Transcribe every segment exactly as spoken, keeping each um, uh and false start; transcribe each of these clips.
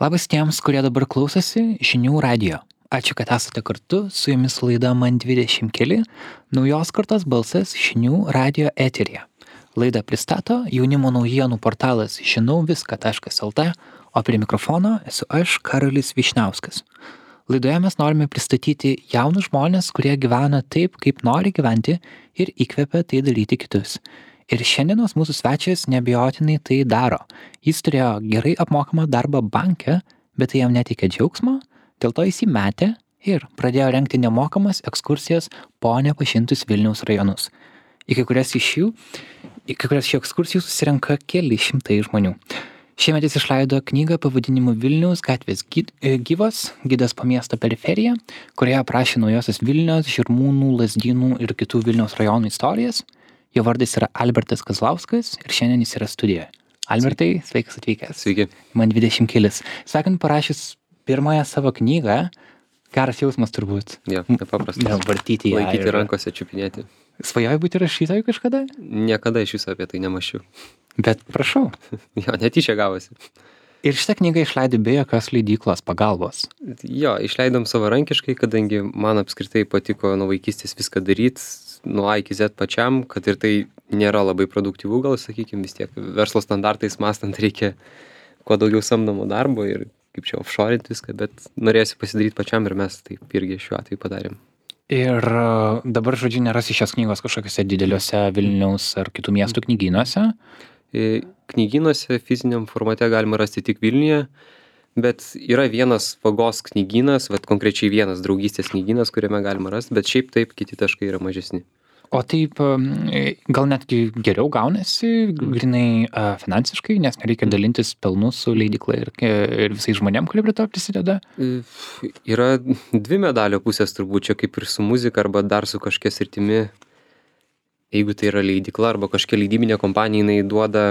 Labas tiems, kurie dabar klausosi žinių radijo. Ačiū, kad esate kartu, su jumis laida Man dvidešimt keli, naujos kartos balsas žinių radijo eteryje. Laidą pristato jaunimo naujienų portalas žinau viską taškas lt, o prie mikrofono esu aš, Karolis Vyšniauskas. Laidoje mes norime pristatyti jaunus žmonės, kurie gyvena taip, kaip nori gyventi ir įkvepia tai daryti kitus. Ir šiandienos mūsų svečias neabejotinai tai daro. Jis turėjo gerai apmokamą darbą banke, bet tai jam neteikė džiaugsmo, dėl to jis įmetė ir pradėjo rengti nemokamas ekskursijas po nepažintus Vilniaus rajonus. Į kai kurias iš jų, į kai kurias šių ekskursijų susirenka keli šimtai žmonių. Šiemet jis išleido knygą pavadinimu Vilniaus gatvės gyvos, gidas po miesto periferiją, kurioje aprašė naujosios Vilnios, Žirmūnų, Lazdynų ir kitų Vilniaus rajonų istorijas. Jo vardas yra Albertas Kazlauskas ir šiandien jis yra studijoje. Albertai, sveikas atvykęs. Sveiki. Man dvidešimt kelis. Sakant, parašęs pirmąją savo knygą, geras jausmas turbūt. Jo, nepaprastas. Ne, vartyti ją. Laikyti ir- rankose, čiupinėti. Svajojai būti rašytoju kažkada? Niekada iš viso apie tai nemašiau. Bet prašau. Jo, netyčia gavosi. Ir šitą knygą išleidai be jokios leidyklos pagalbos. Jo, išleidom savarankiškai, kadangi man apskritai patiko nuo vaikystės viską daryti, nuo A iki Z pačiam, kad ir tai nėra labai produktyvu, gal sakykime, vis tiek verslo standartais mąstant reikia kuo daugiau samdomo darbo ir kaip čia offshore'inti viską, bet norėjusi pasidaryti pačiam ir mes taip irgi šiuo atveju padarėm. Ir e, dabar, žodžiu, nerasi šios knygos kažkokiuose dideliuose Vilniaus ar kitų miestų knygynuose. E, Knygynuose fiziniam formate galima rasti tik Vilniuje, bet yra vienas vagos knygynas, vat konkrečiai vienas draugystės knygynas, kuriame galima rasti, bet šiaip taip kiti taškai yra mažesni. O taip, e, gal netgi geriau gaunasi, grinai e, finansiškai, nes nereikia dalintis pelnu su leidykla ir, ir visais žmonėm, kurie prie to prisideda. E, Yra dvi medalio pusės turbūt, čia kaip ir su muzika arba dar su kažkokia sritimi. Jeigu tai yra leidykla arba kažkokia leidybinė kompanija, jinai duoda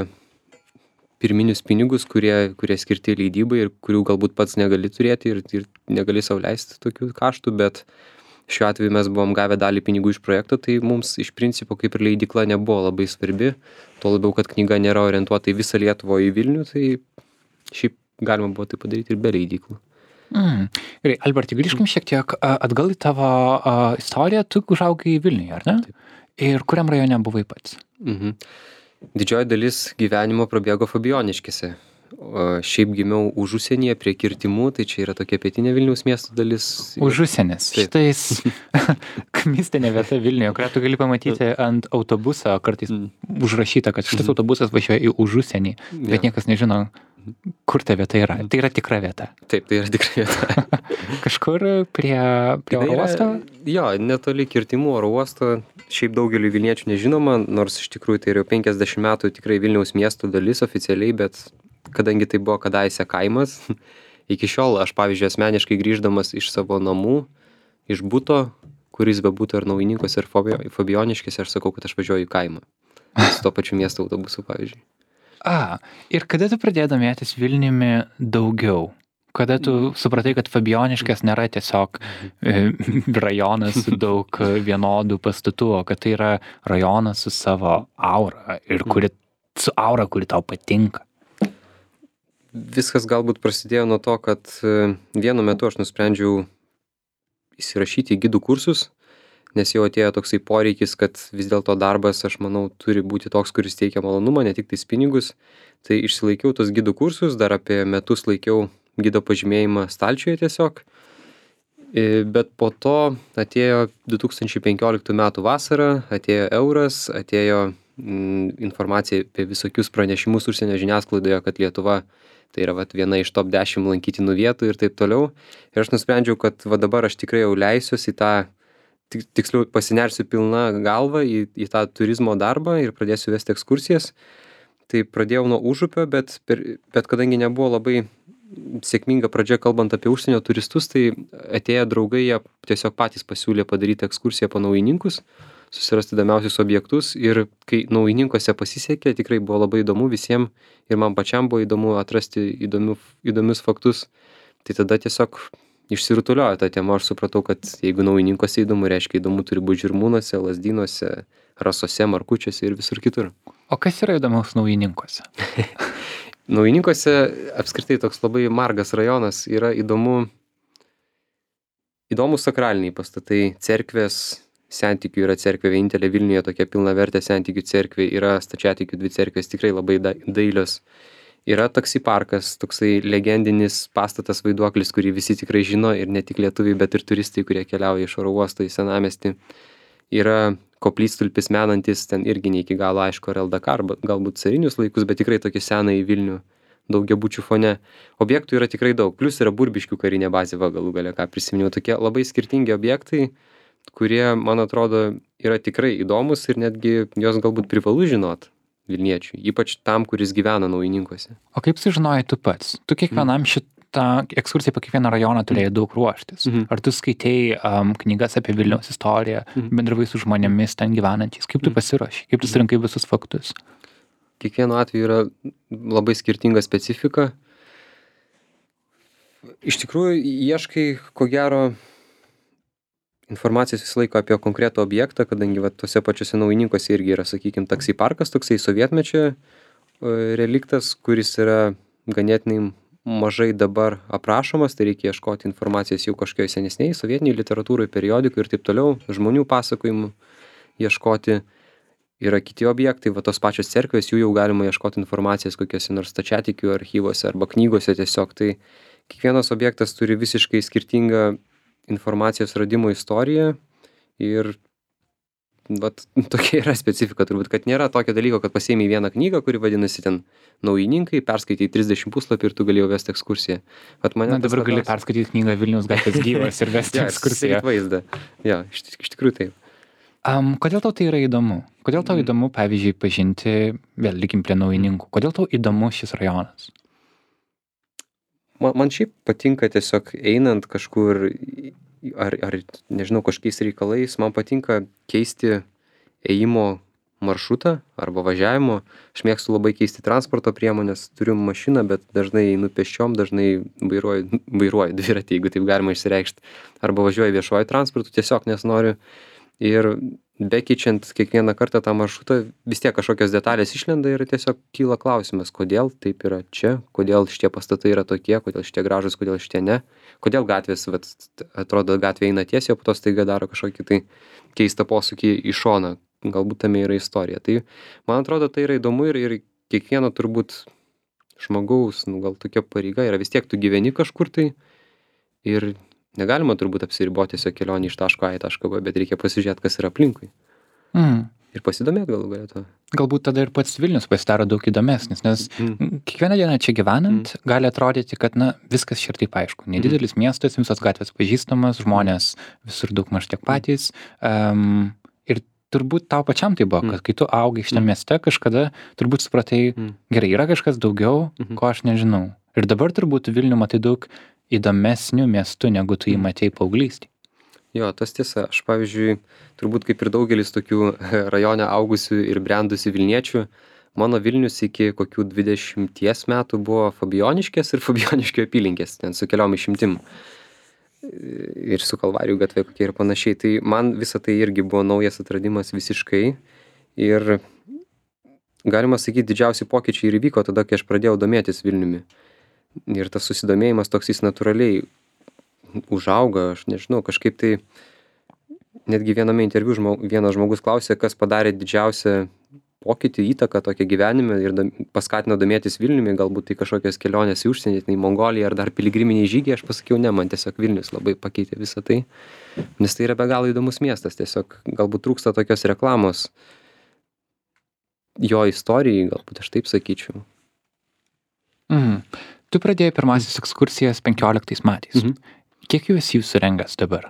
pirminius pinigus, kurie, kurie skirti leidybai ir kurių galbūt pats negali turėti ir, ir negali sau leisti tokių kaštų, bet šiuo atveju mes buvom gavę dalį pinigų iš projekto, tai mums iš principo kaip ir leidykla nebuvo labai svarbi, tuo labiau, kad knyga nėra orientuota į visą Lietuvą, į Vilnių, tai šiaip galima buvo tai padaryti ir be leidyklų. Mm. Gerai, Albertai, grįžkim šiek tiek a, atgal į tavo a, istoriją. Tu užaugai Vilniuje, ar ne? Taip. Ir kuriam rajone buvai pats? Mhm. Didžioji dalis gyvenimo prabėgo Fabijoniškėse. O šiaip gimiau už užsienyje prie Kirtimų, tai čia yra tokia pietinė Vilniaus miesto dalis. Užusienis. Taip. Šitais mistinė vieta Vilniuje, kurią tu gali pamatyti ant autobuso, kartais Mm. užrašyta, kad šitas autobusas važiuoja į užusienį, bet Jo. niekas nežino, kur ta vieta yra. Tai yra tikra vieta. Taip, tai yra tikrai vieta. Kažkur prie, prie oro Tai yra- uosto? Jo, netoli Kirtimų oro uosto. Šiaip daugeliu Vilniečių nežinoma, nors iš tikrųjų tai yra jau penkiasdešimt metų tikrai Vilniaus miesto dalis oficialiai, bet kadangi tai buvo kadaise kaimas, iki šiol aš, pavyzdžiui, asmeniškai grįždamas iš savo namų, iš buto, kuris bebūtų ar Naujininkuose, ar Fabi- Fabijoniškėse, aš sakau, kad aš važiuoju į kaimą. Su to pačiu miesto autobusu, pavyzdžiui. A, ir kada tu pradėjai domėtis Vilniumi daugiau? Kada tu supratai, kad Fabijoniškės nėra tiesiog e, rajonas su daug vienodų pastatų, o kad tai yra rajonas su savo aura ir kuri, su aura, kuri tau patinka? Viskas galbūt prasidėjo nuo to, kad e, vienu metu aš nusprendžiau įsirašyti į gidų kursus, nes jau atėjo toksai poreikis, kad vis dėlto darbas, aš manau, turi būti toks, kuris teikia malonumą, ne tik tais pinigus. Tai išsilaikiau tos gidų kursus, dar apie metus laikiau gido pažymėjimą stalčiuje tiesiog. E, Bet po to atėjo du tūkstančiai penkioliktų metų vasara, atėjo euras, atėjo mm, informacija apie visokius pranešimus užsienio žiniasklaidoje, kad Lietuva tai yra vat, viena iš top dešimt lankytinų vietų ir taip toliau. Ir aš nusprendžiau, kad va dabar aš tikrai jau leisiuosi į tą, tik- tiksliau pasinersiu pilna galva į, į tą turizmo darbą ir pradėsiu vesti ekskursijas. Tai pradėjau nuo Užupio, bet, per, bet kadangi nebuvo labai sėkminga pradžia kalbant apie užsienio turistus, tai atėję draugai, jie tiesiog patys pasiūlė padaryti ekskursiją po Naujininkus, susirasti įdomiausius objektus ir kai Naujininkuose pasisekė, tikrai buvo labai įdomu visiems ir man pačiam buvo įdomu atrasti įdomių, įdomius faktus, tai tada tiesiog išsirutuliojo ta tema, aš supratau, kad jeigu Naujininkuose įdomu, reiškia įdomu turi būti Žirmūnuose, Lazdynuose, Rasose, Markučiuose ir visur kitur. O kas yra įdomaus Naujininkuose? Naujininkuose apskritai toks labai margas rajonas, yra įdomu, įdomus sakraliniai pastatai, cerkvės, sentikių yra cerkvė vienintelė Vilniuje, tokia pilnavertė sentikių cerkvė, yra stačiatikių dvi cerkvės, tikrai labai da- dailios. Yra taksi parkas, toksai legendinis pastatas vaiduoklis, kurį visi tikrai žino ir ne tik lietuviai, bet ir turistai, kurie keliauja iš oro uosto į senamiestį. Yra koplytstulpis menantis, ten irgi ne iki galo aišku, ar L D K, arba galbūt carinius laikus, bet tikrai tokį seną į Vilnių daugiabučių fone. Objektų yra tikrai daug, plus yra Burbiškių karinė bazė, va galų gale, ką prisiminiau, tokie labai skirtingi objektai, kurie, man atrodo, yra tikrai įdomus ir netgi jos galbūt privalu žinot Vilniečiui, ypač tam, kuris gyvena Naujininkuose. O kaip sužinojai tu pats? Tu kiekvienam šitą ekskursiją po kiekvieną rajoną turėjai daug ruoštis. Mhm. Ar tu skaitei um, knygas apie Vilniaus istoriją, Mhm. bendravai su žmonėmis ten gyvenančiais? Kaip tu pasiruošei? Kaip tu surinkai visus faktus? Kiekvienu atveju yra labai skirtinga specifika. Iš tikrųjų, ieškai, ko gero, informacijos visą laiką apie konkretų objektą, kadangi va, tose pačiose Naujininkuose irgi yra, sakykime, taksi parkas, toksai sovietmečio e, reliktas, kuris yra ganėtinai mažai dabar aprašomas, tai reikia ieškoti informacijos jau kažkokioj senesniai, sovietiniai literatūrai, periodikų ir taip toliau, žmonių pasakojimų ieškoti. Yra kiti objektai, va tos pačios cerkvės, jų jau galima ieškoti informacijos kokiuose nors stačiatikių archyvose arba knygose tiesiog. Tai kiekvienas objektas turi visiškai skirtingą informacijos radimo istoriją ir vat, tokia yra specifika turbūt, kad nėra tokio dalyko, kad pasiėmei vieną knygą, kuri vadinasi ten Naujininkai, perskaitai trisdešimt puslapių ir tu galėjai vesti ekskursiją. Vat mane Na, dabar gali labiausiai- perskaityti knygą Vilniaus gatvės gyvas ir vesti Ja, ekskursiją. susidaryt vaizdą. Ja, iš, iš tikrųjų taip. Um, kodėl tau tai yra įdomu? Kodėl tau įdomu, pavyzdžiui, pažinti, vėl likim prie Naujininkų, kodėl tau įdomu šis rajonas? Man, man šiaip patinka tiesiog einant kažkur, ar, ar nežinau, kažkokiais reikalais, man patinka keisti ėjimo maršrutą arba važiavimo. Aš mėgstu labai keisti transporto priemonės, turiu mašiną, bet dažnai einu pėsčiom, dažnai vairuoju, vairuoju dviratį, jeigu taip galima išsireikšti, arba važiuoju viešuoju transportu, tiesiog nes noriu. Ir bekeičiant kiekvieną kartą tą maršrutą, vis tiek kažkokios detalės išlenda ir tiesiog kyla klausimas, kodėl taip yra čia, kodėl šitie pastatai yra tokie, kodėl šitie gražus, kodėl šitie ne, kodėl gatvės, vat, atrodo, gatvė eina tiesiai, o po to staiga daro kažkokį tai keistą posūkį į šoną, galbūt tame yra istorija. Tai man atrodo, tai yra įdomu ir, ir kiekvieno turbūt žmogaus, nu, gal tokia pareiga yra, vis tiek tu gyveni kažkur tai ir negalima turbūt apsiriboti tiesiog kelionį iš taško A į tašką B, bet reikia pasižiūrėti, kas yra aplinkui. Mm. Ir pasidomėti galų galę to. Galbūt tada ir pats Vilnius pasidaro daug įdomesnis, nes Mm. kiekvieną dieną čia gyvenant mm. gali atrodyti, kad na, viskas čia ir taip aišku. Nedidelis mm. miestas, visos gatvės pažįstamas, žmonės visur daug maž tiek patys. Um, ir turbūt tau pačiam tai buvo, Mm. kad kai tu augai šitame mm. mieste, kažkada turbūt supratai, Mm. gerai, yra kažkas daugiau, Mhm. ko aš nežinau. Ir dabar turbūt Vilnių matai daug įdomesnių miestų, negu tu jį matei paauglystėje. Jo, tas tiesa. Aš, pavyzdžiui, turbūt kaip ir daugelis tokių rajone augusių ir brendusių Vilniečių, mano Vilnius iki kokių dvidešimties metų buvo Fabioniškės ir Fabioniškio apylinkės, ten su keliom išimtim. Ir su Kalvarijų gatvė kokie ir panašiai. Tai man visa tai irgi buvo naujas atradimas visiškai. Ir galima sakyti, didžiausi pokyčiai ir įvyko tada, kai aš pradėjau domėtis Vilniumi. Ir tas susidomėjimas toks jis natūraliai užauga, aš nežinau, kažkaip tai netgi viename interviu žmog, vienas žmogus klausė, kas padarė didžiausią pokytį, įtaką tokią gyvenime ir dam, paskatino domėtis Vilniumi, galbūt tai kažkokios kelionės į užsienį, tai Mongolija ar dar piligriminiai žygiai, aš pasakiau, ne, man tiesiog Vilnius labai pakeitė visą tai, nes tai yra be galo įdomus miestas, tiesiog galbūt trūksta tokios reklamos jo istorijai, galbūt aš taip sakyčiau. Mhm. Tu pradėjai pirmasis ekskursijas penkioliktais metais. Mhm. Kiek jų esi jūsų surengęs dabar?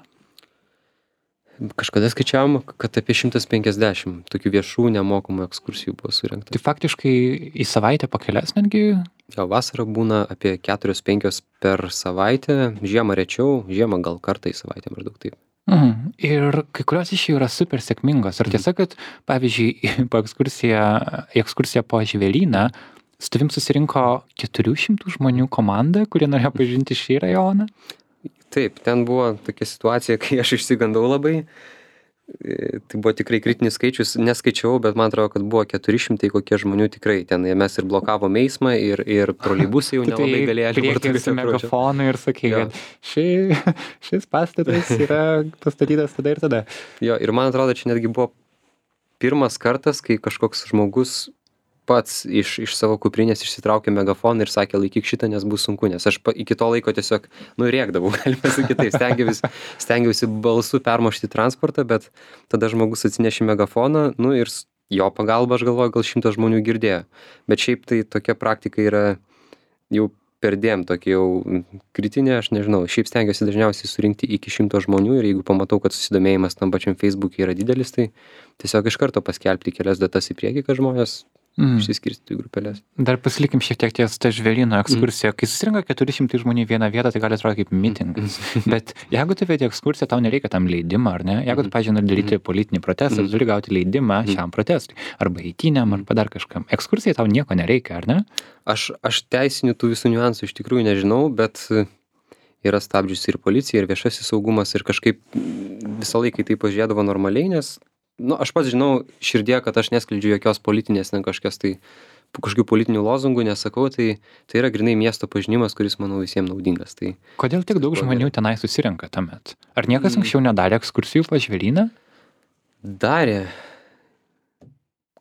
Kažkada skaičiavom, kad apie šimtas penkiasdešimt tokių viešų nemokamų ekskursijų buvo surengta. Tai faktiškai į savaitę po kelias netgi? Jo, vasarą būna apie keturios penkios per savaitę, žiemą rečiau, žiemą gal kartą į savaitę maždaug taip. Mhm. Ir kai kurios iš jų yra super sėkmingos. Ar tiesa, kad, pavyzdžiui, po ekskursiją, į ekskursiją po Žvėryną su tavim susirinko keturių šimtų žmonių komanda, kurie norėjo pažinti šį rajoną? Taip, ten buvo tokia situacija, kai aš išsigandau labai, E, Tai buvo tikrai kritinis skaičius, neskaičiau, bet man atrodo, kad buvo keturi šimtai kokie žmonių tikrai. Ten mes ir blokavom eismą, ir, ir troleibusai jau nelabai galėjo priekį su megafonu ir sakė, Jo. kad ši, šis pastatas yra pastatytas tada ir tada. Jo, ir man atrodo, čia netgi buvo pirmas kartas, kai kažkoks žmogus pats iš, iš savo kuprinės išsitraukė megafoną ir sakė, laikyk šitą, nes bus sunku, nes aš pa, iki to laiko tiesiog, nu, rėkdavau, galime sakyti, taip, stengiausi, stengiausi balsu permušti transportą, bet tada žmogus atsinešė megafoną, nu, ir s- jo pagalba, aš galvoju, gal šimtas žmonių girdėjo. Bet šiaip tai tokia praktika yra jau perdėm tokia jau kritinė, aš nežinau, šiaip stengiuosi dažniausiai surinkti iki šimto žmonių ir jeigu pamatau, kad susidomėjimas tam pačiam Facebook'e yra didelis, tai tiesiog iš karto paskelbti kelias datas į priekį, kad žmonės Mm. išsiskirstytų į grupelės. Dar pasilikim šiek tiek ties tą žvėryno ekskursiją. Kai susirinka keturi šimtai žmonių į vieną vietą, tai gali atrodyti kaip mitingas. Bet jeigu tu vedi ekskursiją, tau nereikia tam leidimą, ar ne? Jeigu tu, pavyzdžiui, nori daryti politinį protestą, tu turi gauti leidimą šiam protestui. Arba eitynėm, arba dar kažkam. Ekskursijai tau nieko nereikia, ar ne? Aš, aš teisinių tų visų niuansų iš tikrųjų nežinau, bet e, yra stabdžiusi ir policija, ir viešasis saugumas, ir kažkaip mm, visą laiką į tai pažiūrėdavo normaliai, nes, nu, aš pats žinau širdie, kad aš neskleidžiu jokios politinės, ne kažkas tai, kažkokių politinių lozungų nesakau, tai, tai yra grinai miesto pažinimas, kuris, manau, visiems naudingas. Tai Kodėl tiek daug Sakau, žmonių tenai susirenka tuomet? Ar niekas anksčiau nedarė ekskursijų po žvėryną? darė.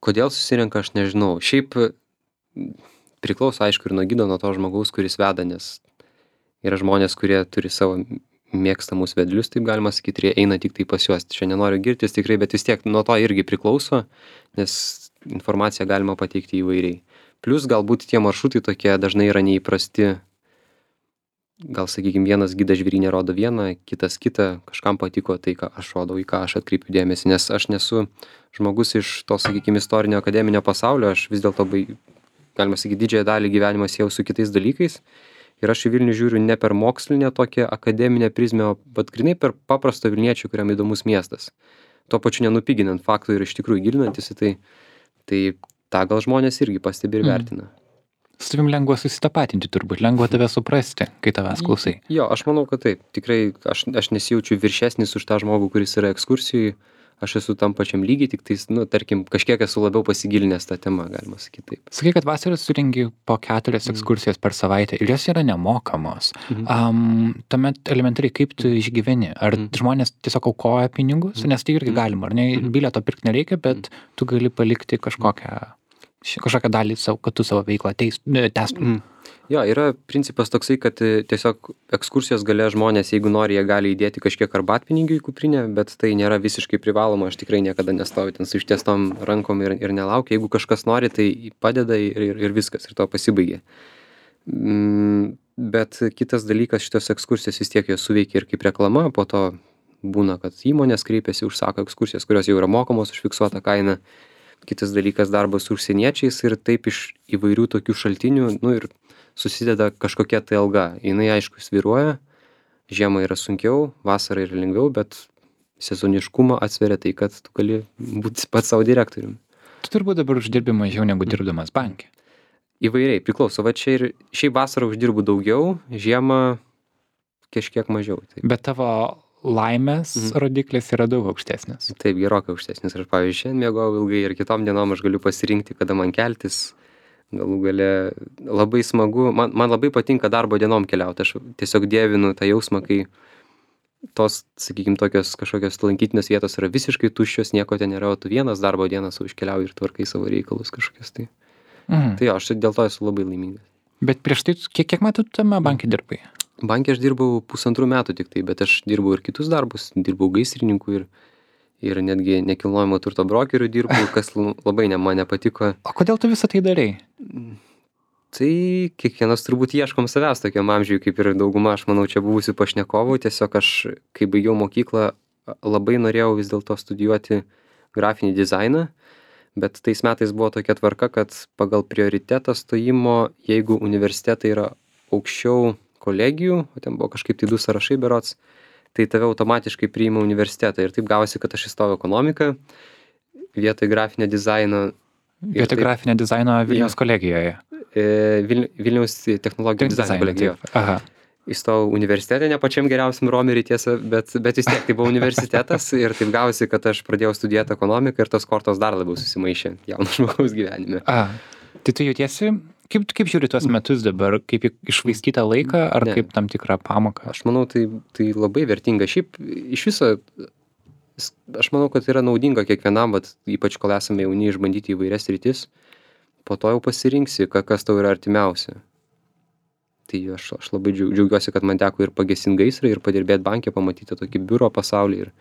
Kodėl susirenka, aš nežinau. Šiaip m, priklauso, aišku, ir nuo gido, nuo to žmogaus, kuris veda, nes yra žmonės, kurie turi savo mėgstamus vedlius, taip galima sakyti, ir jie eina tik tai pas juos. Čia nenoriu girtis tikrai, bet vis tiek nuo to irgi priklauso, nes informaciją galima pateikti įvairiai. Plius galbūt tie maršrutai tokie dažnai yra neįprasti. Gal, sakykime, vienas gidas žvėrynė rodo vieną, kitas kitą, kažkam patiko tai, ką aš rodau, į ką aš atkreipiu dėmesį, nes aš nesu žmogus iš to, sakykime, istorinio akademinio pasaulio, aš vis dėlto, bai- galima sakyti, didžiąją dalį gyvenimo siejau su kitais dalykais. Ir aš į Vilnių žiūriu ne per mokslinę tokią akademinę prizmę, o bet grynai per paprasto vilniečių, kuriam įdomus miestas. Tuo pačiu nenupiginant faktų ir iš tikrųjų gilinantis į tai, tai tą gal žmonės irgi pastebi ir Mm. vertina. Su tavim lengva susitapatinti turbūt, lengva tave suprasti, kai tavęs klausai. Jo, aš manau, kad taip. Tikrai aš, aš nesijaučiu viršesnis už tą žmogų, kuris yra ekskursijai. Aš esu tam pačiam lygiai, tik tais, nu, tarkim, kažkiek esu labiau pasigilinęs tą temą, galima sakyti taip. Sakai, kad vasarą surengi po keturias ekskursijas per savaitę ir jos yra nemokamos. Mhm. Um, tuomet elementariai, kaip tu išgyveni? Ar žmonės tiesiog aukoja pinigus? Nes tai irgi galima, ar ne? Bilieto pirkti nereikia, bet tu gali palikti kažkokią, ši- kažkokią dalį, savo, kad tu savo veiklą teis- ne, tęstum. Mm. Jo, yra principas toksai, kad e, tiesiog ekskursijos gale žmonės, jeigu nori, jie gali įdėti kažkiek arbatpinigių į kuprinę, bet tai nėra visiškai privaloma, aš tikrai niekada nestoviu ten su ištiestom rankom ir, ir nelaukiu. Jeigu kažkas nori, tai padeda ir, ir, ir viskas, ir to pasibaigia. Mm, bet kitas dalykas, šitos ekskursijos vis tiek jos suveikia ir kaip reklama, po to būna, kad įmonės kreipiasi, užsako ekskursijas, kurios jau yra mokamos už fiksuotą kainą. Kitas dalykas, darbas su užsieniečiais ir taip iš įvairių tokių šaltinių, nu ir susideda kažkokia tai alga. Jinai aišku svyruoja, žiemą yra sunkiau, vasarą yra lengviau, bet sezoniškumą atsveria tai, kad tu gali būti pats savo direktoriumi. Tu turbūt dabar uždirbi mažiau negu dirbdamas banke. Įvairiai, priklauso. Va čia ir šiaip vasarą uždirbu daugiau, žiemą kažkiek mažiau. Taip, Bet tavo laimės Mhm. rodiklis yra daug aukštesnis. taip gerokai aukštesnis. Aš, pavyzdžiui, šiandien miegojau ilgai ir kitom dienom aš galiu pasirinkti, kada man keltis. Galų gale labai smagu, man, man labai patinka darbo dienom keliauti. Aš tiesiog dievinu tą jausmą, kai tos, sakykime, tokios kažkokios lankytinės vietos yra visiškai tuščios, nieko ten nėra, o tu vienas darbo dieną sau iškeliauji ir tvarkai savo reikalus kažkokius. Tai, Mhm. tai jo, aš dėl to esu labai laimingas. Bet prieš tai, tu- kiek, kiek metų tu tame banke dirbai? Bankė aš dirbau pusantrų metų tik tai, bet aš dirbau ir kitus darbus, dirbau gaisrininku ir, ir netgi nekilnojamo turto brokeriu dirbau, kas l- labai ne, man nepatiko. O kodėl tu visą tai darai? Tai kiekvienas turbūt ieškom savęs tokiam amžiui, kaip ir dauguma, aš manau, čia buvusių pašnekovų. Tiesiog aš, kai baigiau mokyklą, labai norėjau vis dėlto studijuoti grafinį dizainą, bet tais metais buvo tokia tvarka, kad pagal prioritetą stojimo, jeigu universitetai yra aukščiau kolegijų, o ten buvo kažkaip tai du sąrašai berots, tai tave automatiškai priima universitetą. Ir taip gavosi, kad aš įstojau ekonomiką, vietoj grafinio dizaino. ir Vietoj taip- grafinio dizaino Vilniaus kolegijoje. e, Vil, Vilniaus technologijų dizaino kolegijoje. taip. Aha. įstojau universitete, ne pačiam geriausiam romerį tiesa, bet, bet vis tiek tai buvo universitetas ir taip gavosi, kad aš pradėjau studijuoti ekonomiką ir tos kortos dar labiau susimaišė jauno žmogaus gyvenime. A, tai tu jautiesi, kaip, kaip žiūri tuos metus dabar, kaip į išvaistytą laiką ar Ne. kaip tam tikrą pamoką? Aš manau, tai, tai labai vertinga. Šiaip iš viso, aš manau, kad yra naudinga kiekvienam, vat, ypač kol esame jauni, išbandyti įvairias rytis, po to jau pasirinksi, ka- kas tau yra artimiausia. Tai aš, aš labai džiau- džiaugiuosi, kad man teko ir pagesinti gaisrą, ir padirbėti bankė, pamatyti tokį biuro pasaulį ir,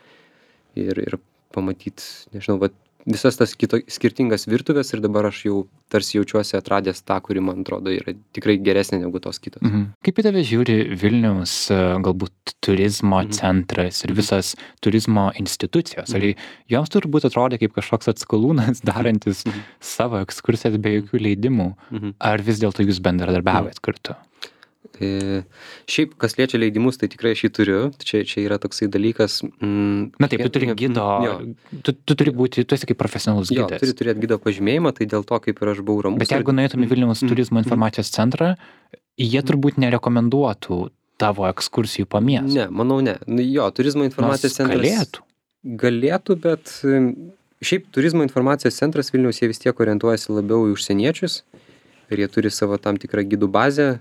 ir, ir pamatyti, nežinau, vat, visas tas kito, skirtingas virtuvės ir dabar aš jau tarsi jaučiuosi atradęs tą, kuri man atrodo yra tikrai geresnė negu tos kitos. Mhm. Kaip į tave žiūri Vilniaus e, galbūt turizmo Mhm. centras ir visas turizmo institucijos? Ar joms turbūt atrodė kaip kažkoks atskalūnas darantis Mhm. savo ekskursijas be jokių leidimų? Mhm. Ar vis dėlto jūs bendradarbiavot kartu? E, šiaip, kas liečia leidimus, tai tikrai aš jį turiu. Čia, čia yra toksai dalykas. Mm, Na taip, tu turi kiekvien- gido, Jo, tu, tu turi būti, tu esi kaip profesionalus jo gidas. turi turėti gido pažymėjimą, tai dėl to, kaip ir aš buvau ramus. Bet jeigu nueitum į Vilniaus Mhm. turizmo informacijos centrą, jie turbūt nerekomenduotų tavo ekskursijų po miestą. Ne, manau ne. Nu, jo, turizmo informacijos Nors centras. galėtų. Galėtų, bet em, šiaip turizmo informacijos centras Vilniaus jie vis tiek orientuojasi labiau į užsieniečius ir jie turi savo tam tikrą gidų bazę.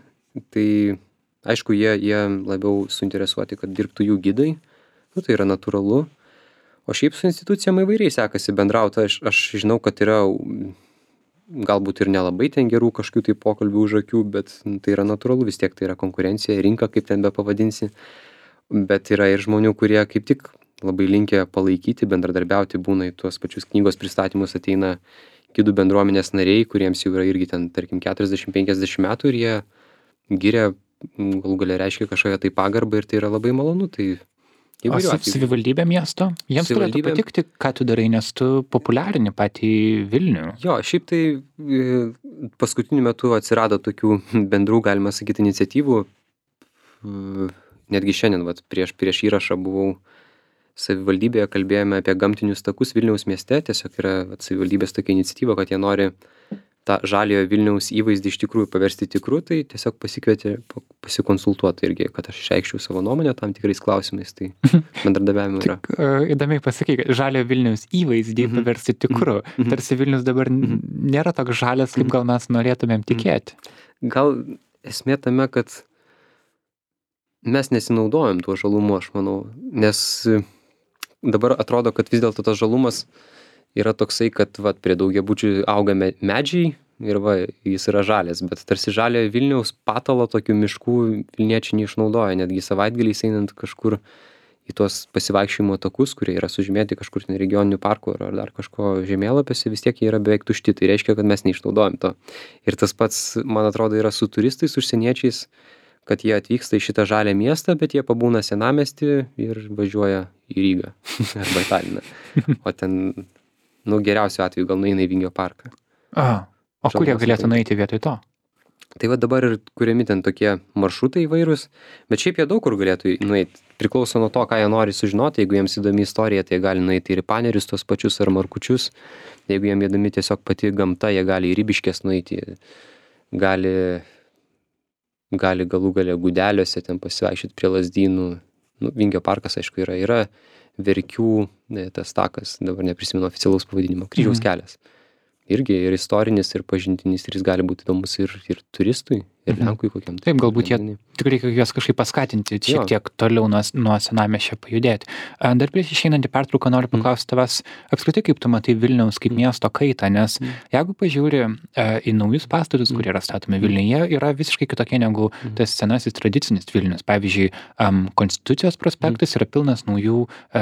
Tai aišku, jie, jie labiau suinteresuoti, kad dirbtų jų gidai. Nu, tai yra natūralu. O šiaip su institucijom įvairiai sekasi bendrauti. Aš, aš žinau, kad yra mm, galbūt ir nelabai ten gerų kažkokių tai pokalbių už akių, bet nu, tai yra natūralu, vis tiek tai yra konkurencija, rinka, kaip ten be pavadinsi. Bet yra ir žmonių, kurie kaip tik labai linkę palaikyti, bendradarbiauti, būna į tuos pačius knygos pristatymus ateina gidų bendruomenės nariai, kuriems jau yra irgi ten, tarkim, keturiasdešimt penkiasdešimt metų ir jie giria, m, galų galia reiškia kažkokią tai pagarbą ir tai yra labai malonu. Tai O įvairių sa- atvejų. savivaldybė miesto? Jiems turėtų Savivaldybė- patikti, ką tu darai, nes tu populiarini patį Vilnių. Jo, šiaip tai e, paskutiniu metu atsirado tokių bendrų, galima sakyti, iniciatyvų. E, Netgi šiandien, vat, prieš, prieš įrašą buvau savivaldybėje, kalbėjome apie gamtinius takus Vilniaus mieste. Tiesiog yra vat, savivaldybės tokia iniciatyva, kad jie nori tą žaliojo Vilniaus įvaizdį iš tikrųjų paversti tikru, tai tiesiog pasikvietė pa- pasikonsultuoti irgi, kad aš išreikščiau savo nuomonę tam tikrais klausimais. Tai bendradarbiavimo yra. Tik uh, įdomiai pasakai, kad žalio Vilniaus įvaizdį Mhm. paversti tikru. Mhm. Tarsi Vilnius dabar n- nėra toks žalias, kaip gal mes norėtumėm tikėti. Gal esmė tame, kad mes nesinaudojam tuo žalumu, aš manau, nes e, dabar atrodo, kad vis dėlto tas žalumas yra toksai, kad vat, prie daugiabučių auga me- medžiai ir va, jis yra žalias, bet tarsi žaliojo Vilniaus patalo tokių miškų Vilniečiai neišnaudoja, netgi savaitgaliais einant kažkur į tuos pasivaikščiojimo takus, kurie yra sužymėti kažkur ten regioninių parkų ar ar dar kažko žemėlapiuose, vis tiek jie yra beveik tušti, tai reiškia, kad mes neišnaudojam to. Ir tas pats, man atrodo, yra su turistais, užsieniečiais, kad jie atvyksta į šitą žalią miestą, bet jie pabūna senamiestį ir važiuoja į Rygą arba į Taliną. O ten, nu, geriausiu atveju gal nueina į Vingio parką. A, o kur jie Žalumas galėtų ateina. nueiti vietoj to? Tai va dabar ir kuriami ten tokie maršrutai įvairūs, bet šiaip jie daug kur galėtų nueiti. Priklauso nuo to, ką jie nori sužinoti. Jeigu jiems įdomi istorija, tai jie gali nueiti ir į Panerius tos pačius ar Markučius. Jeigu jiems įdomi tiesiog pati gamta, jie gali į Ribiškės nueiti, gali, gali galų galia Gudeliuose ten pasivaikščioti prie Lazdynų. Nu, Vingio parkas, aišku, yra, yra Verkių, ne, tas takas, dabar neprisimenu oficialaus pavadinimo, Kryžiaus Mhm. kelias. Irgi ir istorinis, ir pažintinis, ir jis gali būti įdomus ir, ir turistui, ir Mhm. Lenkui kokiam. Taip, galbūt jie renginiui. tik reikia juos kažkaip paskatinti, šiek Jo. tiek toliau nuo, nuo senamiesčio pajudėti. A, Dar prieš išeinant į pertrauką noriu paklausti tavęs, apskritai kaip tu matai Vilniaus kaip miesto kaitą, nes jeigu pažiūri e, į naujus pastatus, kurie yra statomi Vilniuje, yra visiškai kitokie negu tas senasis tradicinis Vilnius. Pavyzdžiui, um, Konstitucijos prospektas yra pilnas naujų e,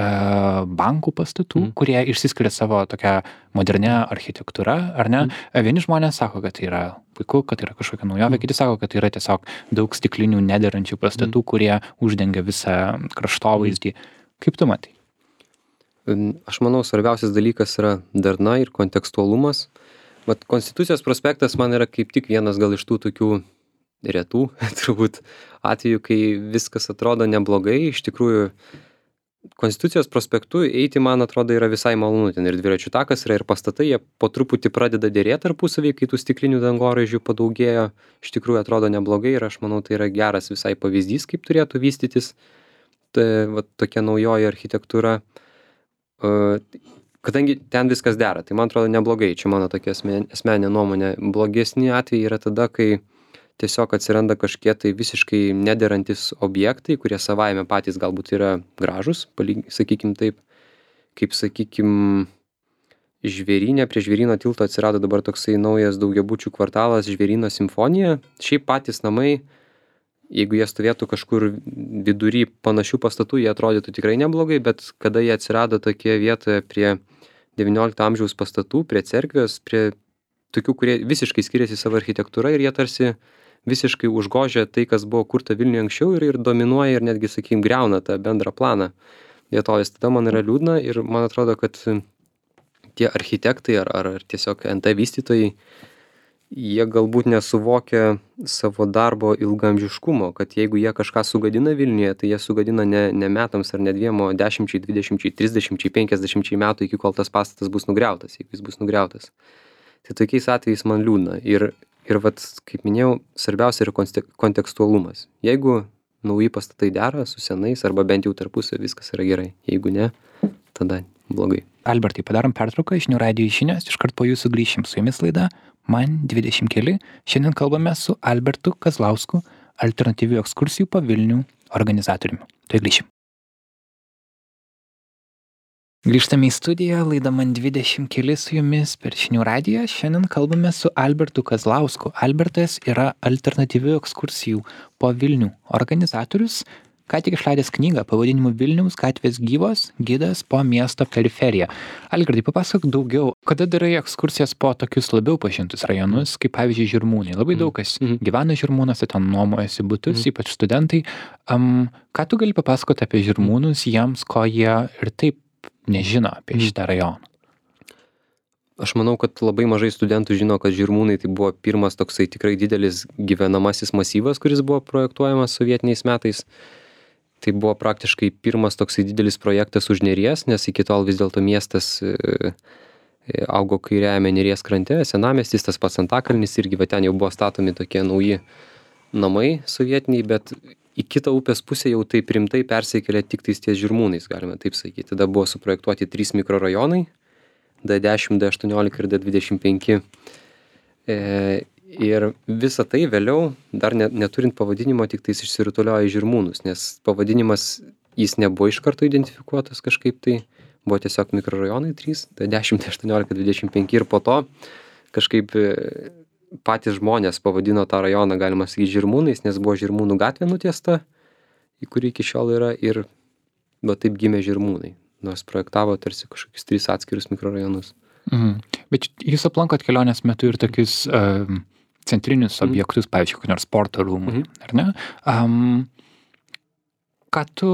bankų pastatų, Mhm. kurie išsiskiria savo tokią modernę architektūrą, ar ne? E, Vieni žmonės sako, kad tai yra puiku, kad tai yra kažkokia naujovė, kiti sako, kad tai yra tiesiog daug stiklinių nederančių pastatų, kurie uždengia visą kraštovaizdį. Kaip tu matai? Em, Aš manau, svarbiausias dalykas yra darna ir kontekstualumas. Vat Konstitucijos prospektas man yra kaip tik vienas gal iš tų tokių retų, turbūt, atvejų, kai viskas atrodo neblogai. Iš tikrųjų, Konstitucijos prospektu eiti, man atrodo, yra visai malonu. Ten ir dviračių takas yra, ir pastatai, jie po truputį pradeda dėrėti tarpusavį, kai tų stiklinių dangoraižių padaugėjo. Iš tikrųjų atrodo neblogai ir aš manau, tai yra geras visai pavyzdys, kaip turėtų vystytis ta, va, tokia naujoji architektūra. Uh, kadangi ten viskas dera, tai man atrodo neblogai. Čia mano tokia asmen, asmeninė nuomonė. Blogesni atvejai yra tada, kai tiesiog atsiranda kažkie tai visiškai nederantis objektai, kurie savaime patys galbūt yra gražus, sakykim taip, kaip sakykim Žvėryne, prie Žvėryno tilto atsirado dabar toksai naujas daugiabučių kvartalas Žvėryno simfonija. Šiaip patys namai, jeigu jie stovėtų kažkur vidury panašių pastatų, jie atrodytų tikrai neblogai, bet kada jie atsirado tokie vietoje prie devyniolikto amžiaus pastatų, prie cerkvės, prie tokių, kurie visiškai skiriasi savo architektūra ir jie tarsi visiškai užgožia tai, kas buvo kurta Vilniuje anksčiau ir, ir dominuoja ir netgi, sakykim, greuna tą bendrą planą vietovės. Tada man yra liūdna ir man atrodo, kad tie architektai ar, ar, ar tiesiog N T vystytojai, jie galbūt nesuvokia savo darbo ilgaamžiškumo, kad jeigu jie kažką sugadina Vilniuje, tai jie sugadina ne, ne metams ar ne dviem, o dešimčiai, dvidešimčiai, trisdešimčiai, penkiasdešimčiai metų, iki kol tas pastatas bus nugriautas, jeigu jis bus nugriautas. Tai tokiais atvejais man liūdna. Ir Ir vat, kaip minėjau, svarbiausia yra kontekstualumas. Jeigu nauji pastatai dera su senais, arba bent jau tarpusai, viskas yra gerai. Jeigu ne, tada blogai. Albertai, padarom pertrauką, žinių radijo žinios, iškart po jūsų grįšim. Su jumis laida Man dvidešimt keli. Šiandien kalbame su Albertu Kazlausku, alternatyvių ekskursijų po Vilnių organizatoriumi. Tai grįšim. Grįžtame į studiją, laida Man dvidešimt keli su jumis per žinių radiją. Šiandien kalbame su Albertu Kazlausku. Albertas yra alternatyvių ekskursijų po Vilnių organizatorius, ką tik išleidęs knygą pavadinimu Vilniaus gatvės gyvos, gidas po miesto periferiją. Algirdai, papasakok daugiau, kada darai ekskursijas po tokius labiau pažintus rajonus, kaip pavyzdžiui Žirmūnai. Labai daug kas mm-hmm. gyvena Žirmūnuose, ten nuomojasi butus, mm-hmm. ypač studentai. Um, ką tu gali papasakoti apie Žirmūnus jiems, ko jie ir taip nežino apie šitą rajoną? Aš manau, kad labai mažai studentų žino, kad Žirmūnai tai buvo pirmas toksai tikrai didelis gyvenamasis masyvas, kuris buvo projektuojamas sovietiniais metais. Tai buvo praktiškai pirmas toksai didelis projektas už Neries, nes iki tol vis dėlto miestas e, augo kairiajame Neries krante, senamiestis, tas pats Antakalnis, irgi va ten jau buvo statomi tokie nauji namai sovietiniai, bet į kitą upės pusę jau taip rimtai persikėlė tik tais ties Žirmūnais, galime taip sakyti. Tada buvo suprojektuoti trys mikrorajonai, D dešimt, D aštuoniolika ir D dvidešimt penki. E, ir visa tai vėliau, dar ne, neturint pavadinimo, tik tais išsirutuliojo į Žirmūnus, nes pavadinimas jis nebuvo iš karto identifikuotas kažkaip tai, buvo tiesiog mikrorajonai trys, D dešimt, D aštuoniolika, D dvidešimt penki ir po to kažkaip patys žmonės pavadino tą rajoną, galima sakyti, Žirmūnais, nes buvo Žirmūnų gatvė nutiesta, į kurį iki šiol yra, ir va taip gimė Žirmūnai, nors projektavo tarsi kažkokius tris atskirus mikrorajonus. Mhm. Bet jūs aplankot kelionės metu ir tokius uh, centrinius mhm. objektus, pavyzdžiui, kokį nors sporto rūmų, mhm. ar ne? Um, ką tu...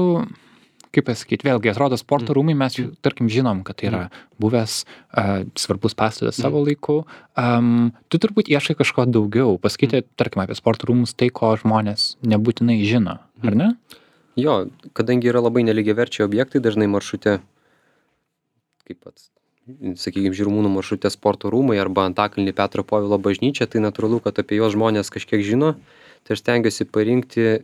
Kaip pasakyti, vėlgi, atrodo, sporto rūmai, mes, tarkim, žinom, kad tai yra buvęs uh, svarbus pastatas savo laiku. Um, tu turbūt ieškai kažko daugiau, pasakyti, tarkim, apie sporto rūmus, tai, ko žmonės nebūtinai žino, ar ne? Jo, kadangi yra labai nelygiaverčiai objektai, dažnai maršrute, kaip pats, sakykime, Žirmūnų maršrute sporto rūmai arba Antakalnį Petro Povilo bažnyčia, tai natūralu, kad apie juos žmonės kažkiek žino, tai aš stengiuosi parinkti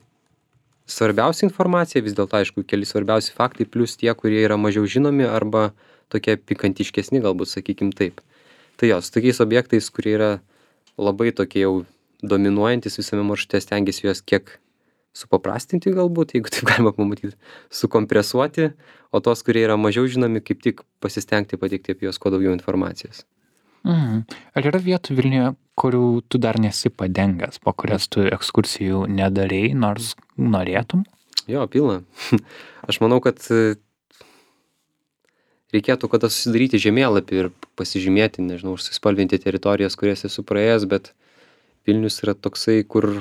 svarbiausia informacija, vis dėlto, aišku, keli svarbiausi faktai, plus tie, kurie yra mažiau žinomi arba tokie pikantiškesni, galbūt, sakykim taip. Tai jos, tokiais objektais, kurie yra labai tokie jau dominuojantis visame maršrute, stengiasi juos kiek supaprastinti galbūt, jeigu taip galima pamatyti, sukompresuoti, o tos, kurie yra mažiau žinomi, kaip tik pasistengti pateikti apie juos kuo daugiau informacijos. Mhm. Ar yra vietų Vilniuje, kurių tu dar nesi padengęs, po kurias tu ekskursijų nedarei, nors norėtum? Jo, pilna. Aš manau, kad reikėtų kada susidaryti žemėlapį ir pasižymėti, nežinau, užsispalvinti teritorijas, kurias esu praėjęs, bet Vilnius yra toksai, kur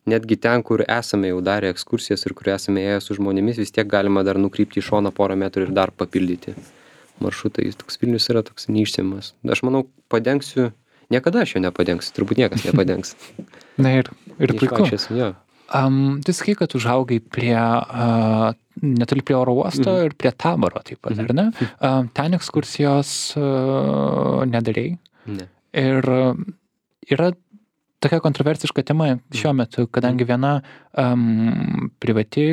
netgi ten, kur esame jau darę ekskursijas ir kur esame ėję su žmonėmis, vis tiek galima dar nukrypti į šoną porą metrų ir dar papildyti maršrutą. Toks Vilnius yra toks neišsėmas. Aš manau, padengsiu, niekada aš jo nepadengsiu, turbūt niekas nepadengs. Na ir, ir puiku. Jo. Um, tu sakai, kad užaugai prie uh, netoli prie oro uosto Mhm. ir prie Taboro taip pat, ar ne? A, Ten ekskursijos a, nedarei. Ne. Ir a, yra tokia kontroversiška tema šiuo metu, kadangi viena um, privati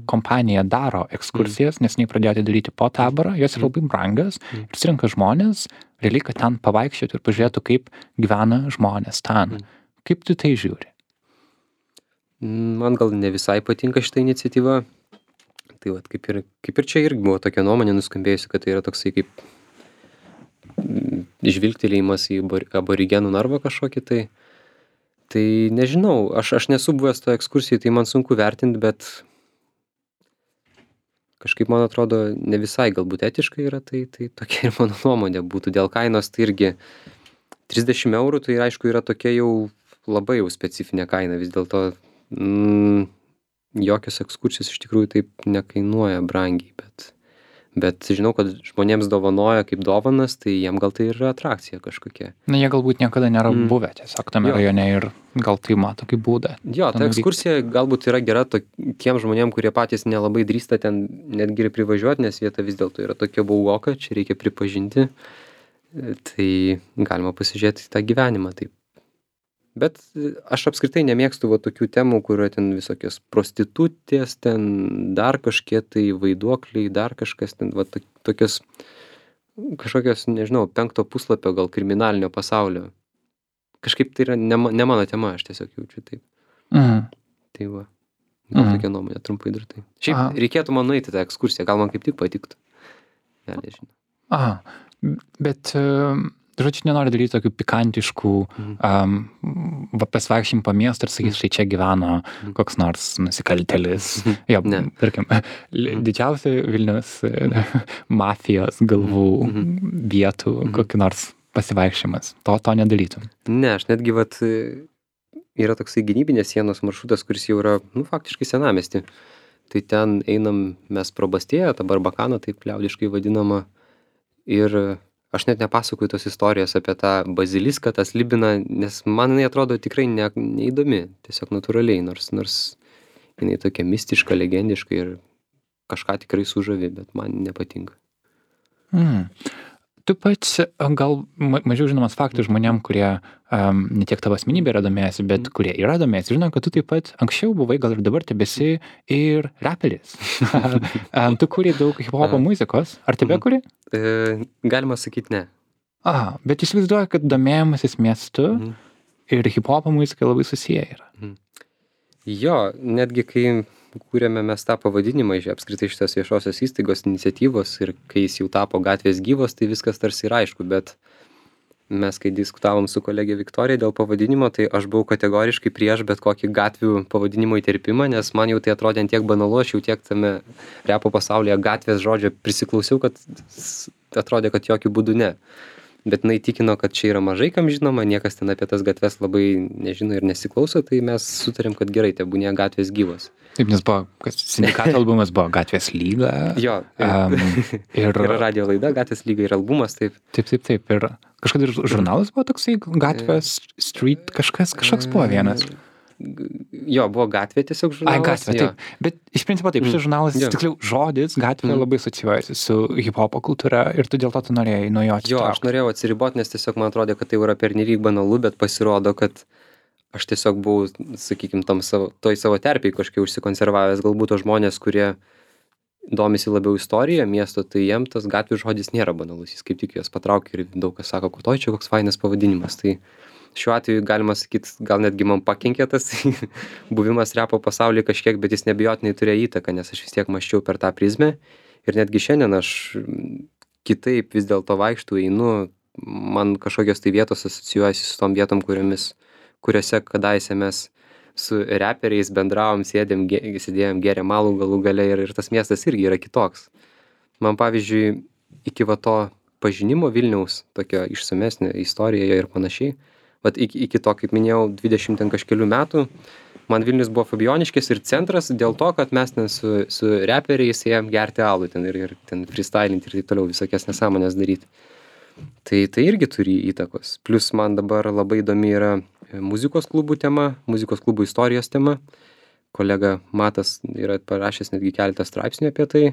kompanija daro ekskursijas, nes nei pradėjo daryti po Taborą, jos yra labai brangios ir surinka žmonės, realiai, kad ten pavaikščioti ir pažiūrėtų, kaip gyvena žmonės ten. Kaip tu tai žiūri? Man gal ne visai patinka šita iniciatyva. Tai vat, kaip ir, kaip ir čia irgi buvo tokia nuomonė nuskambėjusi, kad tai yra toksai kaip mm, žvilgtelėjimas į abor- aborigenų narvą kažkokį tai. Tai nežinau, aš, aš nesu buvęs to ekskursijai, tai man sunku vertinti, bet kažkaip man atrodo ne visai galbūt etiškai yra, tai, tai tokia ir mano nuomonė būtų. Dėl kainos tai irgi trisdešim eurų, tai aišku yra tokia jau labai jau specifinė kaina, vis dėlto mm, jokios ekskursijos iš tikrųjų taip nekainuoja brangiai, bet, bet žinau, kad žmonėms dovanoja kaip dovanas, tai jiem gal tai yra atrakcija kažkokia. Na, jie galbūt niekada nėra Mm. buvę tiesiog tame Jo. rajone ir gal tai mato kaip būdą. Jo, ta Ten ekskursija galbūt yra gera tiem žmonėm, kurie patys nelabai drįsta ten netgi ir privažiuoti, nes vieta vis dėlto yra tokia baugoka, čia reikia pripažinti. E, Tai galima pasižiūrėti į tą gyvenimą taip. Bet e, aš apskritai nemėgstu va tokių temų, kurio ten visokios prostitutės, ten dar kažkie tai vaiduokliai, dar kažkas ten, va to- tokios kažkokios, nežinau, penkto puslapio gal kriminalinio pasaulio. Kažkaip tai yra ne, ma- ne mano tema, aš tiesiog jaučiu taip. Mhm. Tai va. Gal Mhm. tokia nuomonė, trumpai dar tai. Šiaip Aha. reikėtų man nueiti tą ekskursiją, gal man kaip tik patiktų. Ne, nežinau. Aha, bet, um, žodžiu, nenori daryti tokių pikantiškų Mhm. um, va, pasivaikščiojimų po miestą ir sakyti, štai čia gyveno koks nors nusikaltėlis. Jo, Ne. tarkim, li- didžiausia Vilnius e, mafijos galvų Mhm. vietų, kokį nors pasivaikščiojimas. To, to nedarytum. Ne, aš netgi vat e, yra toksai gynybinės sienos maršrutas, kuris jau yra, nu, faktiškai senamiesty. Tai ten einam mes pro Bastėją, tą Barbakaną, taip liaudiškai vadinama. Ir aš net nepasakoju tos istorijos apie tą baziliską, tą slibiną, nes man jinai atrodo tikrai ne, neįdomi, tiesiog natūraliai, nors, nors jinai tokia mistiška, legendiška ir kažką tikrai sužavi, bet man nepatinka. Mm. Tu pats a, gal ma- mažiau žinomas faktas žmonėm, kurie um, ne tiek tavo asmenybė yra domėjęsi, bet kurie yra domėjęsi. Žinau, kad tu taip pat anksčiau buvai, gal ir dabar tebesi ir raperis. Em, tu kūrei daug hip-hopo Aha. muzikos. Ar tebe Mhm. kūrei? E, galima sakyti ne. Aha, bet įsivaizduoju, kad domėjimasis miestu Mhm. ir hip-hopo muzika labai susiję yra. Jo, netgi kai kūrėme mes tą pavadinimą iš apskritai šitos viešosios įstaigos iniciatyvos ir kai jis jau tapo gatvės gyvos, tai viskas tarsi yra aišku, bet mes kai diskutavom su kolegė Viktorija dėl pavadinimo, tai aš buvau kategoriškai prieš bet kokį gatvių pavadinimo įterpimą, nes man jau tai atrodė ant tiek banalu, aš jau tiek tame repo pasaulyje gatvės žodžio prisiklausiau, kad s- atrodė, kad jokių būdų ne. Bet jinai tikino, kad čia yra mažai kam žinoma, niekas ten apie tas gatves labai nežino ir nesiklauso, tai mes sutarėm, kad gerai, tebūnie gatvės gyvos. Taip, nes buvo, kas sindikato albumas buvo Gatvės lyga. Jo, Um, ir, yra radio laida, gatvės lyga ir albumas, taip. taip, taip, taip. Ir kažkada ir žurnalas buvo toksai, Gatvės street, kažkas, kažkoks buvo vienas. Jo, buvo gatvė tiesiog Ai, žurnalas. gatvė, jo. taip. Bet iš principo taip, šis žurnalas, Jo. tiksliau, žodis gatvė Mm. labai asocijuojasi su hip-hopo kultūra ir tu dėl to tu norėjai nuo jo Jo, aš atsitraukti. norėjau atsiriboti, nes tiesiog man atrodė, kad tai yra pernelyg banalu, bet pasirodo, kad aš tiesiog buvau, sakykime, tam savo, toj savo terpiai kažkiek užsikonservavęs. Galbūt to žmonės, kurie domisi labiau istorija miesto, tai jiem tas gatvių žodis nėra banalus. Jis kaip tik juos patraukia ir daug kas sako, kad oi čia koks fainas pavadinimas. Tai šiuo atveju galima sakyti, gal netgi man pakenkė tas buvimas repo pasaulyje kažkiek, bet jis nebijotinai turėjo įtaką, nes aš vis tiek maščiau per tą prizmę. Ir netgi šiandien aš mm, kitaip vis dėlto vaikštų, einu, man kažkokios tai vietos asocijuojasi su tom vietom, kuriomis, kuriuose kadaise mes su reperiais bendravom, sėdėm, ge- sėdėjom, gėrėm alų galų gale ir, ir tas miestas irgi yra kitoks. Man pavyzdžiui, iki va to pažinimo Vilniaus, tokio išsamesnio istorijoje ir panašiai, vat iki, iki to, kaip minėjau, dvidešimt ten kažkelių metų, man Vilnius buvo Fabioniškės ir centras dėl to, kad mes ten su, su reperiais ėjom gerti alų ten ir, ir ten freestylinti ir taip toliau visokias nesąmonės daryti. Tai, tai irgi turi įtakos. Plus man dabar labai įdomi yra muzikos klubų tema, muzikos klubų istorijos tema, kolega Matas yra parašęs netgi keletą straipsnių apie tai,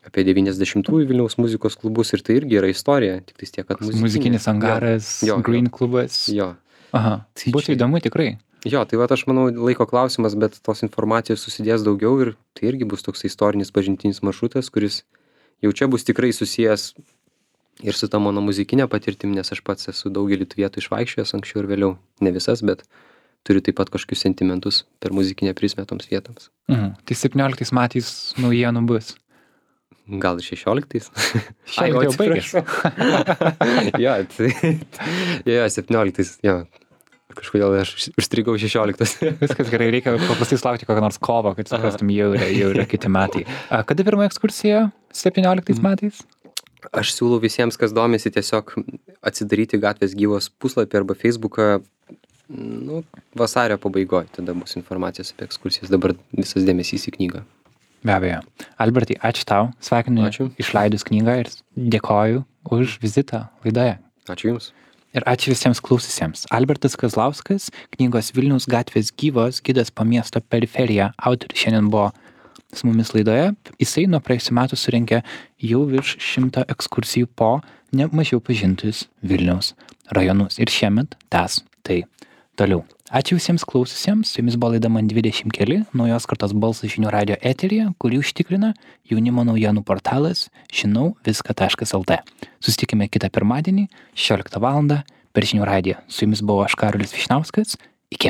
apie devyniasdešimtųjų Vilniaus muzikos klubus ir tai irgi yra istorija, tik tais tiek, kad muzikinė. Muzikinis angaras, Jo, jo, Green jo. klubas. Jo. Aha, Tai būtų čia- įdomu tikrai. Jo, tai va aš manau laiko klausimas, bet tos informacijos susidės daugiau ir tai irgi bus toks istorinis pažintinis maršrutas, kuris jau čia bus tikrai susijęs ir su ta mano muzikinė patirtim, nes aš pats esu daugelį tų vietų išvaikščiojęs anksčiau ir vėliau, ne visas, bet turiu taip pat kažkokius sentimentus per muzikinę prizmę toms vietoms. Mhm. Tai septynioliktais metais naujienų bus. Gal ir šešioliktais? Šiandien jau baigėsi. jo, tai, jo, septynioliktais, jo. Kažkodėl aš užstrigau šešioliktas. Viskas gerai, reikia paprastai laukti kokią nors kovą, kad suprastum, jau yra, jau yra kiti metai. A, kada pirma ekskursija? septynioliktais metais? Aš siūlau visiems, kas domisi, tiesiog atsidaryti Gatvės gyvos puslapį arba Facebooką, nu, vasario pabaigoje, tada bus informacijos apie ekskursijas, dabar visas dėmesys į knygą. Be abejo. Albertai, ačiū tau, sveikinu Ačiū. išleidus knygą ir dėkoju už vizitą laidoje. Ačiū Jums. Ir ačiū visiems klaususiems. Albertas Kazlauskas, knygos Vilniaus gatvės gyvos, gidas po miesto periferiją, autorius šiandien buvo su mumis laidoje. Jisai nuo praėjusių metų surinkė jau virš šimto ekskursijų po ne mažiau pažintus Vilniaus rajonus. Ir šiemet tęs tai toliau. Ačiū visiems klaususiems, su jumis buvo laida Man dvidešimt keli, naujos kartos balsas žinių radio eteryje, kurį užtikrina jaunimo naujienų portalas žinau viską taškas lt. Susitikime kitą pirmadienį, šešioliktą valandą per žinių radiją. Su jumis buvo aš Karolis Vyšniauskas. Iki.